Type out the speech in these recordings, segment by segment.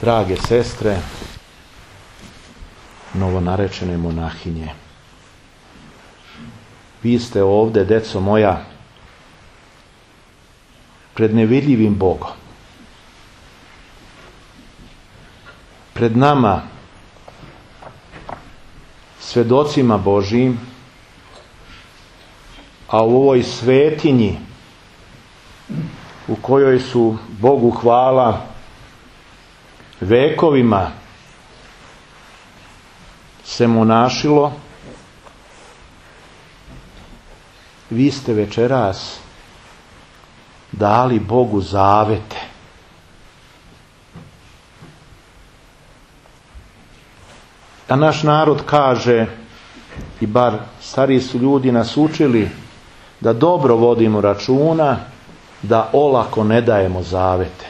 Drage sestre, novonarečene monahinje, vi ste ovde, deco moja, pred nevidljivim Bogom. Pred nama, svedocima Božijim, a u ovoj svetinji u kojoj su Bogu hvala vekovima se monašilo, vi ste večeras dali Bogu zavete. A naš narod kaže, i bar stariji su ljudi nas učili, da dobro vodimo računa, da olako ne dajemo zavete.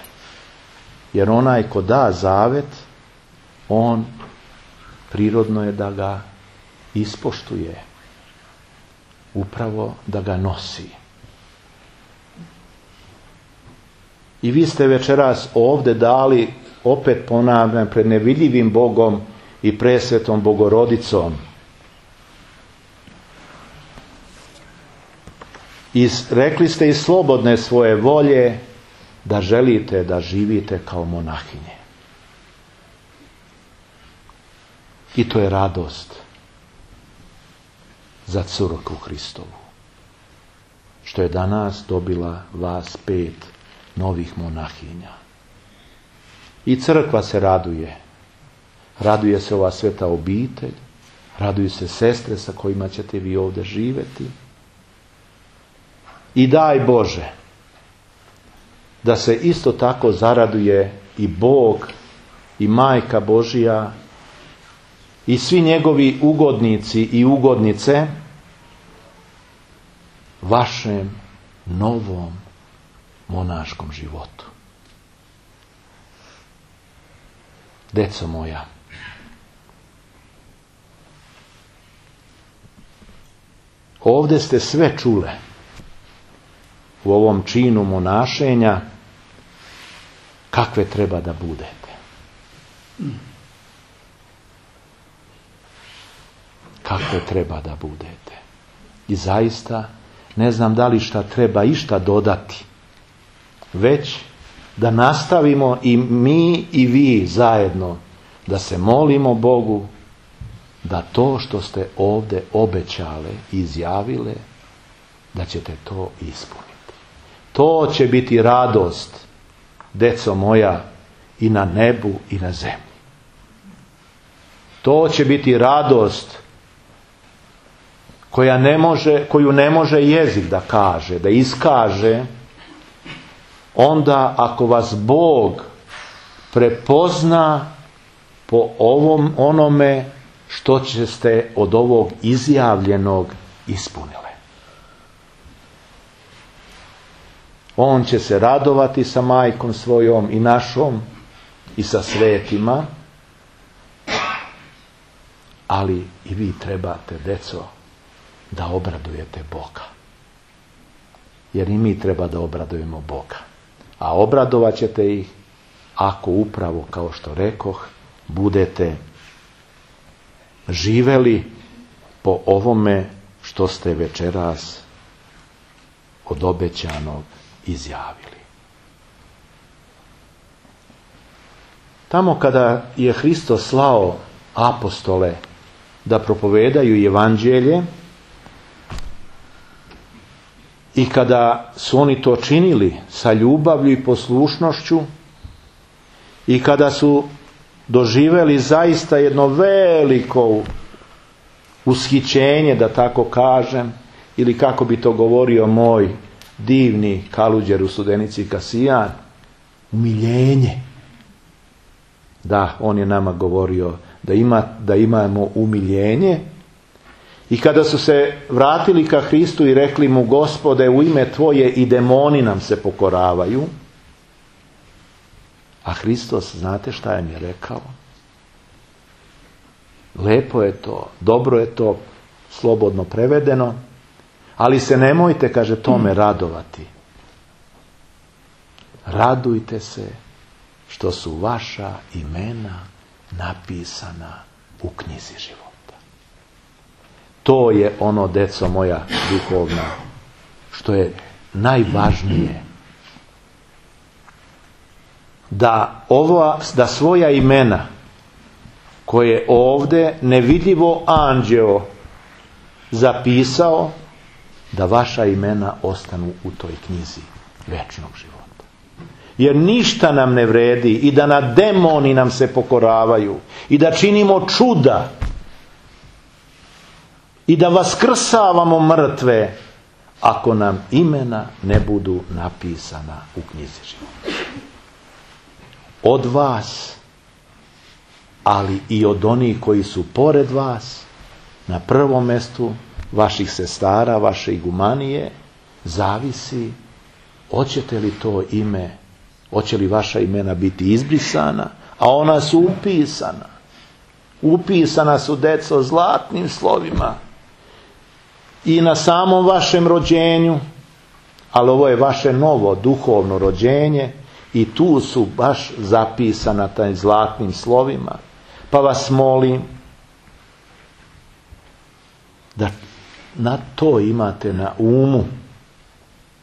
Jer onaj ko da zavet, on prirodno je da ga ispoštuje. Upravo da ga nosi. I vi ste večeras ovde dali, opet ponavljam, pred nevidljivim Bogom i presvetom Bogorodicom. I rekli ste iz slobodne svoje volje da želite da živite kao monahinje. I to je radost za crkvu Hristovu, što je danas dobila vas 5 novih monahinja. I crkva se raduje. Raduje se ova sveta obitelj, raduju se sestre sa kojima ćete vi ovdje živjeti. I daj Bože da se isto tako zaraduje i Bog i Majka Božija i svi njegovi ugodnici i ugodnice vašem novom monaškom životu. Deco moja, ovdje ste sve čule u ovom činu monašenja kakve treba da budete. Kakve treba da budete. I zaista ne znam da li šta treba išta dodati, već da nastavimo i mi i vi zajedno da se molimo Bogu da to što ste ovdje obećale i izjavile, da ćete to ispuniti. To će biti radost, deco moja, i na nebu i na zemlji. To će biti radost koju ne može jezik da kaže, da iskaže, onda ako vas Bog prepozna po onome što ćete od ovog izjavljenog ispunile. On će se radovati sa majkom svojom i našom i sa svetima, ali i vi trebate, deco, da obradujete Boga. Jer i mi treba da obradujemo Boga. A obradovat ćete ih ako upravo, kao što rekoh, budete živeli po ovome što ste večeras od obećanog izjavili. Tamo kada je Hristos slao apostole da propovedaju evanđelje i kada su oni to činili sa ljubavlju i poslušnošću i kada su doživjeli zaista jedno veliko ushićenje, da tako kažem, ili kako bi to govorio moj divni Kaluđer u Studenici Kasijan, umiljenje. Da, on je nama govorio da imamo umiljenje. I kada su se vratili ka Hristu i rekli mu: Gospode, u ime Tvoje i demoni nam se pokoravaju. A Hristos, znate šta je mi rekao? Lepo je to, dobro je to, slobodno prevedeno, ali se nemojte, kaže, tome radovati. Radujte se što su vaša imena napisana u knjizi života. To je ono, deco moja duhovna, što je najvažnije. Da svoja imena koje ovdje nevidljivo anđeo zapisao, da vaša imena ostanu u toj knjizi večnog života. Jer ništa nam ne vredi i da na demoni nam se pokoravaju i da činimo čuda i da vaskrsavamo mrtve, ako nam imena ne budu napisana u knjizi života. Od vas, ali i od onih koji su pored vas, na prvom mjestu vaših sestara, vaše igumanije, zavisi hoćete li to ime, hoće li vaša imena biti izbrisana, a ona su upisana. Upisana su, deco, zlatnim slovima i na samom vašem rođenju, ali ovo je vaše novo duhovno rođenje i tu su baš zapisana taj zlatnim slovima. Pa vas molim da na to imate na umu,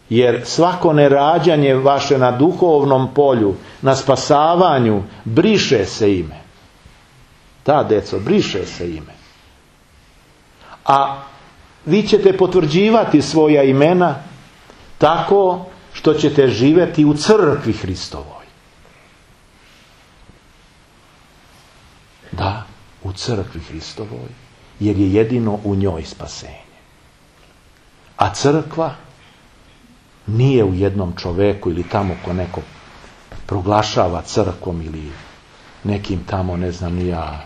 jer svako nerađanje vaše na duhovnom polju, na spasavanju, briše se ime. Da, deco, briše se ime. A vi ćete potvrđivati svoja imena tako što ćete živjeti u crkvi Hristovoj. Da, u crkvi Hristovoj, jer je jedino u njoj spasenje. A crkva nije u jednom čoveku ili tamo ko neko proglašava crkvom ili nekim tamo, ne znam ni ja,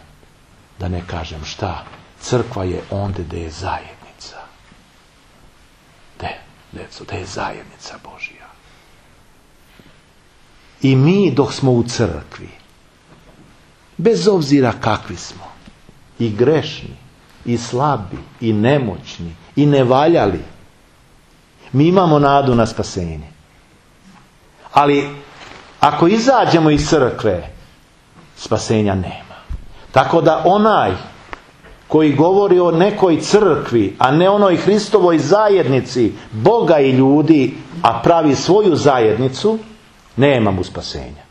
da ne kažem šta. Crkva je ondje gdje je zajednica. Gdje je zajednica Božja. I mi dok smo u crkvi, bez obzira kakvi smo, i grešni, i slabi, i nemoćni, i nevaljali, mi imamo nadu na spasenje. Ali ako izađemo iz crkve, spasenja nema. Tako da onaj koji govori o nekoj crkvi, a ne onoj Hristovoj zajednici Boga i ljudi, a pravi svoju zajednicu, nema mu spasenja.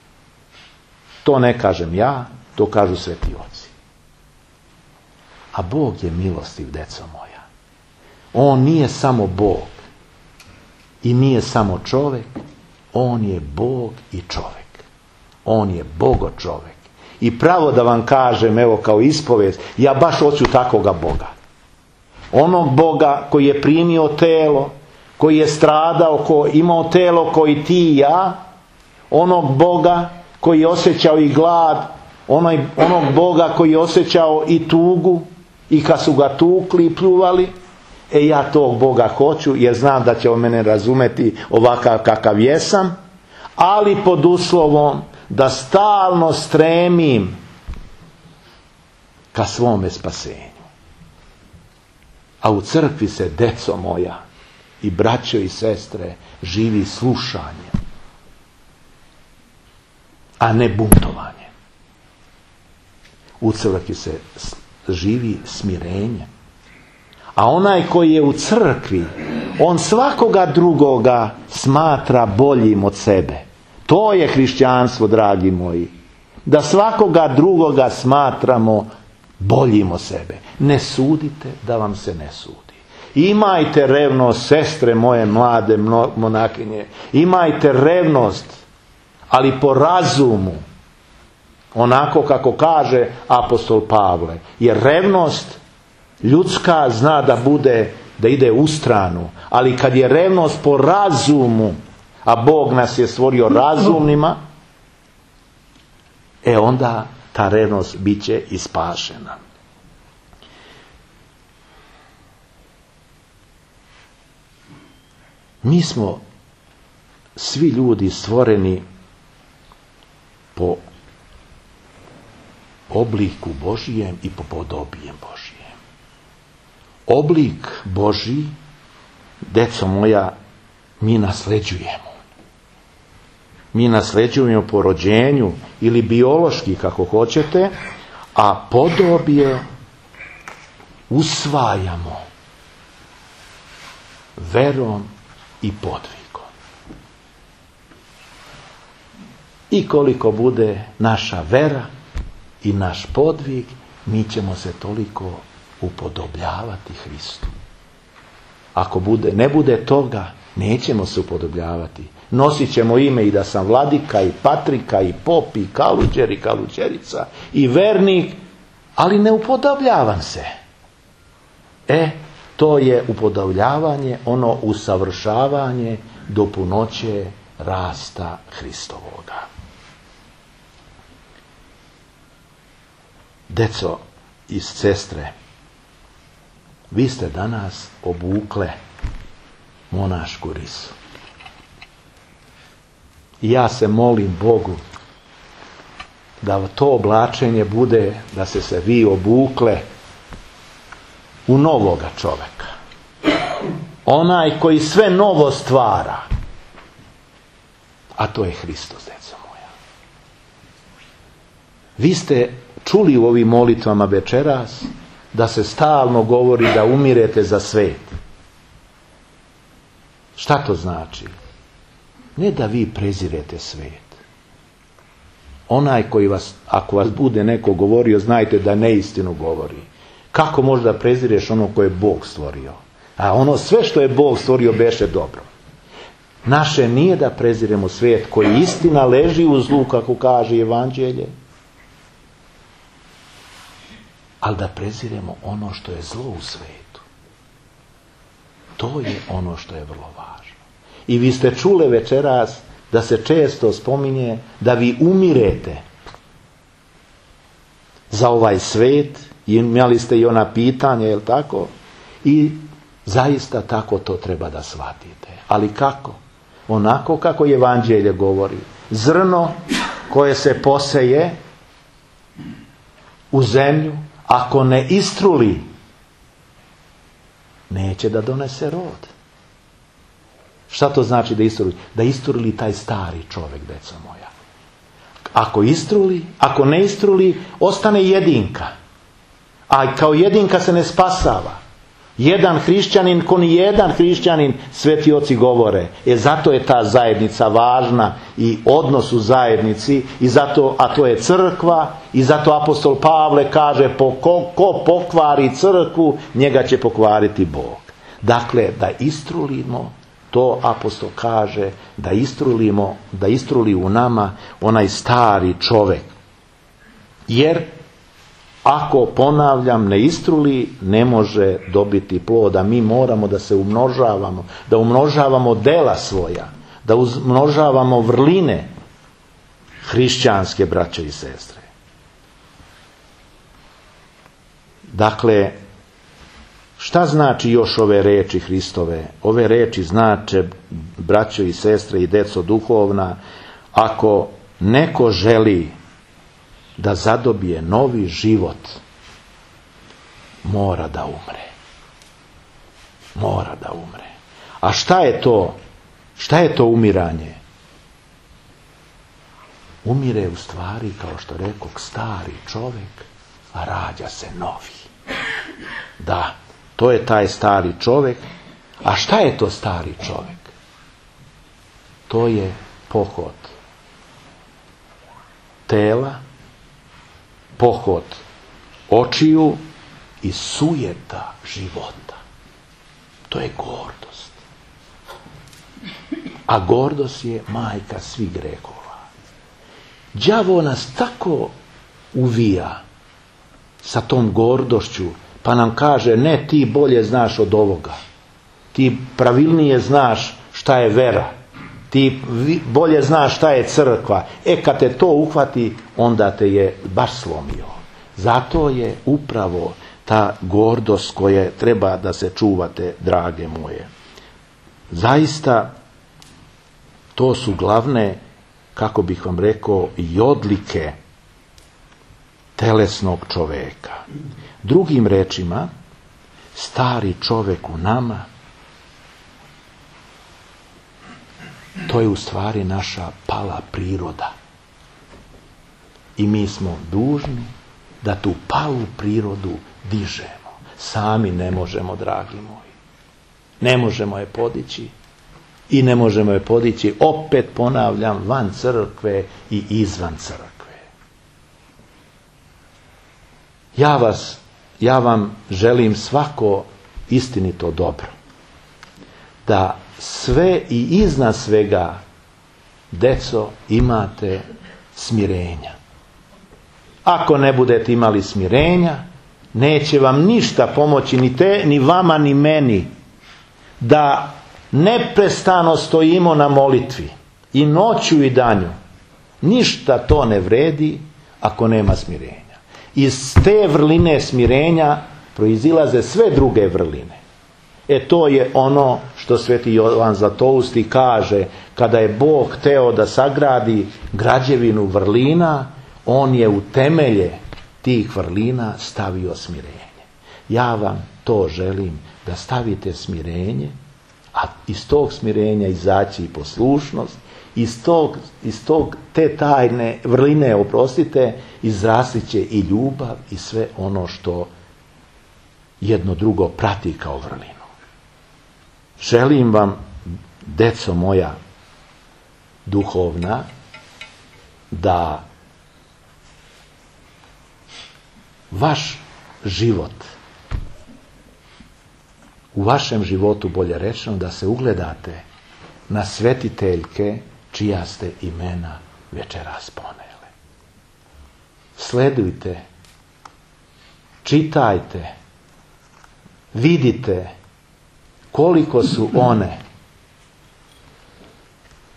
To ne kažem ja, to kažu sveti oci. A Bog je milostiv, deco moja. On nije samo Bog i nije samo čovjek, on je Bog i čovjek. On je Bogo čovjek. I pravo da vam kažem, evo kao ispovijest, ja baš hoću takvoga Boga. Onog Boga koji je primio telo, koji je stradao, koji je imao telo koji ti i ja, onog Boga koji je osjećao i glad, onog Boga koji je osjećao i tugu, i kad su ga tukli i pljuvali, ja tog Boga hoću, jer znam da će on mene razumeti ovakav kakav jesam, ali pod uslovom da stalno stremim ka svome spasenju. A u crkvi se, deco moja, i braćo i sestre, živi slušanjem, a ne buntovanje. U crkvi se živi smirenjem. A onaj koji je u crkvi, on svakoga drugoga smatra boljim od sebe. To je hrišćanstvo, dragi moji. Da svakoga drugoga smatramo boljim od sebe. Ne sudite da vam se ne sudi. Imajte revnost, sestre moje mlade monakinje. Imajte revnost, ali po razumu. Onako kako kaže apostol Pavle. Jer revnost ljudska zna da ide u stranu. Ali kad je revnost po razumu, a Bog nas je stvorio razumnima, onda ta revnost bit će ispašena. Mi smo svi ljudi stvoreni po obliku Božijem i po podobijem Božijem. Oblik Božji, deco moja, mi nasleđujemo. mi nasljeđujemo po rođenju ili biološki, kako hoćete, a podobje usvajamo verom i podvigom. I koliko bude naša vera i naš podvig, mi ćemo se toliko upodobljavati Hristu. Ako ne bude toga, nećemo se upodobljavati. Nosit ćemo ime i da sam vladika i patrika i pop i kaluđer i kaluđerica i vernik, ali ne upodobljavam se. To je upodobljavanje, ono usavršavanje do punoće rasta Hristovoga. Deco i sestre, vi ste danas obukle monašku risu. I ja se molim Bogu da to oblačenje bude, da se vi obukle u novoga čoveka. Onaj koji sve novo stvara. A to je Hristos, deco moja. Vi ste čuli u ovim molitvama večeras da se stalno govori da umirete za svet. Šta to znači? Ne da vi prezirete svet. Onaj koji vas, ako vas bude neko govorio, znajte da neistinu govori. Kako možda prezireš ono koje je Bog stvorio? A ono sve što je Bog stvorio beše dobro. Naše nije da preziremo svijet koji istina leži u zlu, kako kaže Evanđelje, ali da preziremo ono što je zlo u svijetu. To je ono što je vrlo važno. I vi ste čule večeras da se često spominje da vi umirete za ovaj svijet. Imali ste i ona pitanja, jel tako? I zaista tako to treba da shvatite. Ali kako? Onako kako Evanđelje govori. Zrno koje se poseje u zemlju, ako ne istruli, neće da donese rod. Šta to znači da istruli? Da istruli taj stari čovjek, deco moja. Ako istruli, ako ne istruli, ostane jedinka. A kao jedinka se ne spasava. Jedan hrišćanin, ko ni jedan hrišćanin, sveti oci govore. Zato je ta zajednica važna i odnos u zajednici, i zato, a to je crkva, i zato apostol Pavle kaže ko pokvari crkvu, njega će pokvariti Bog. Dakle, da istrulimo, to apostol kaže, da istruli u nama onaj stari čovjek. Jer ako, ponavljam, ne istruli, ne može dobiti ploda. Mi moramo da se umnožavamo, da umnožavamo dela svoja, da umnožavamo vrline hrišćanske, braće i sestre. Dakle, šta znači još ove reči Hristove? Ove reči znače, braćo i sestre i deco duhovna, ako neko želi da zadobije novi život, mora da umre. Mora da umre. A šta je to? Šta je to umiranje? Umire u stvari, kao što rekoh, stari čovjek, a rađa se novi. Da, to je taj stari čovjek. A šta je to stari čovjek? To je pohod tela, pohod očiju i sujeta života. To je gordost. A gordost je majka svih grehova. Đavo nas tako uvija sa tom gordošću, pa nam kaže, ne, ti bolje znaš od ovoga. Ti pravilnije znaš šta je vera. Ti bolje znaš šta je crkva. Kad te to uhvati, onda te je baš slomio. Zato je upravo ta gordost koja treba da se čuvate, drage moje. Zaista, to su glavne, kako bih vam rekao, i odlike telesnog čoveka. Drugim rečima, stari čovjek u nama To je u stvari naša pala priroda. I mi smo dužni da tu palu prirodu dižemo. Sami ne možemo, dragi moji. Ne možemo je podići. I ne možemo je podići, opet ponavljam, van crkve i izvan crkve. Ja vam želim svako istinito dobro. Da sve i iznad svega, deco, imate smirenja. Ako ne budete imali smirenja, neće vam ništa pomoći, ni vama ni meni, da neprestano stojimo na molitvi i noću i danju. Ništa to ne vredi ako nema smirenja. Iz te vrline smirenja proizilaze sve druge vrline. To je ono što sveti Jovan Zlatousti kaže, kada je Bog hteo da sagradi građevinu vrlina, on je u temelje tih vrlina stavio smirenje. Ja vam to želim, da stavite smirenje, a iz tog smirenja izaći i poslušnost, iz te tajne vrline, izrastit će i ljubav i sve ono što jedno drugo prati kao vrlinu. Želim vam, deco moja duhovna, da vaš život, u vašem životu, bolje rečeno, da se ugledate na svetiteljke čija ste imena večeras ponele. Sledujte, čitajte, vidite koliko su one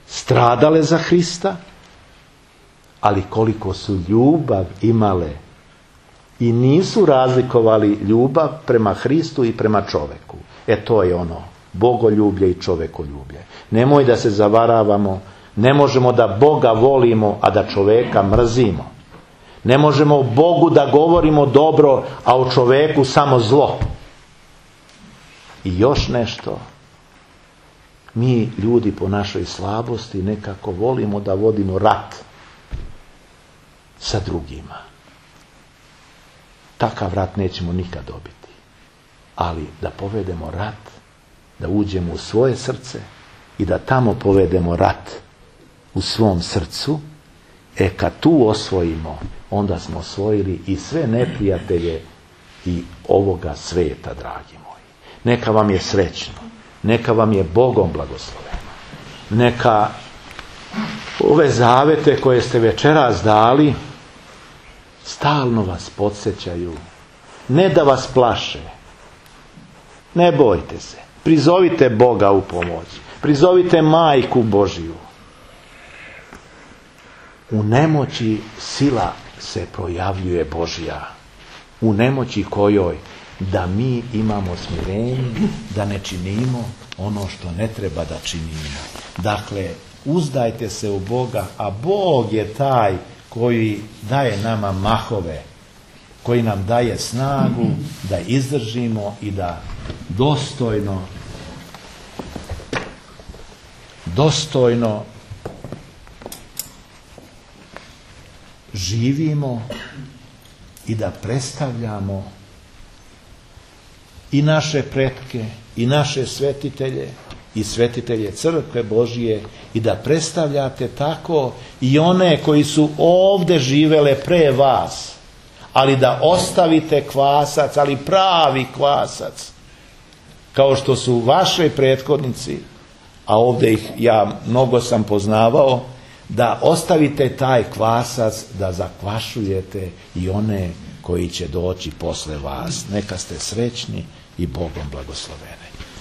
stradale za Hrista, ali koliko su ljubav imale i nisu razlikovali ljubav prema Hristu i prema čoveku. To je ono, bogoljublje i čovekoljublje. Nemoj da se zavaravamo, ne možemo da Boga volimo, a da čoveka mrzimo. Ne možemo Bogu da govorimo dobro, a o čoveku samo zlo. I još nešto, mi ljudi po našoj slabosti nekako volimo da vodimo rat sa drugima. Takav rat nećemo nikad dobiti. Ali da povedemo rat, da uđemo u svoje srce i da tamo povedemo rat u svom srcu, kad tu osvojimo, onda smo osvojili i sve neprijatelje i ovoga sveta, dragi moji. Neka vam je srećno, neka vam je Bogom blagosloveno, neka ove zavete koje ste večeras dali stalno vas podsjećaju, ne da vas plaše. Ne bojte se, prizovite Boga u pomoć, prizovite Majku Božiju. U nemoći sila se projavljuje Božja, u nemoći kojoj da mi imamo smirenje, da ne činimo ono što ne treba da činimo. Dakle, uzdajte se u Boga, a Bog je taj koji daje nama mahove, koji nam daje snagu da izdržimo i da dostojno živimo i da predstavljamo i naše pretke, i naše svetitelje, i svetitelje Crkve Božije, i da predstavljate tako i one koji su ovdje živele pre vas, ali da ostavite kvasac, ali pravi kvasac, kao što su vaši prethodnici, a ovdje ih ja mnogo sam poznavao, da ostavite taj kvasac, da zakvašujete i one koji će doći posle vas. Neka ste srećni i Bogom blagosloveni.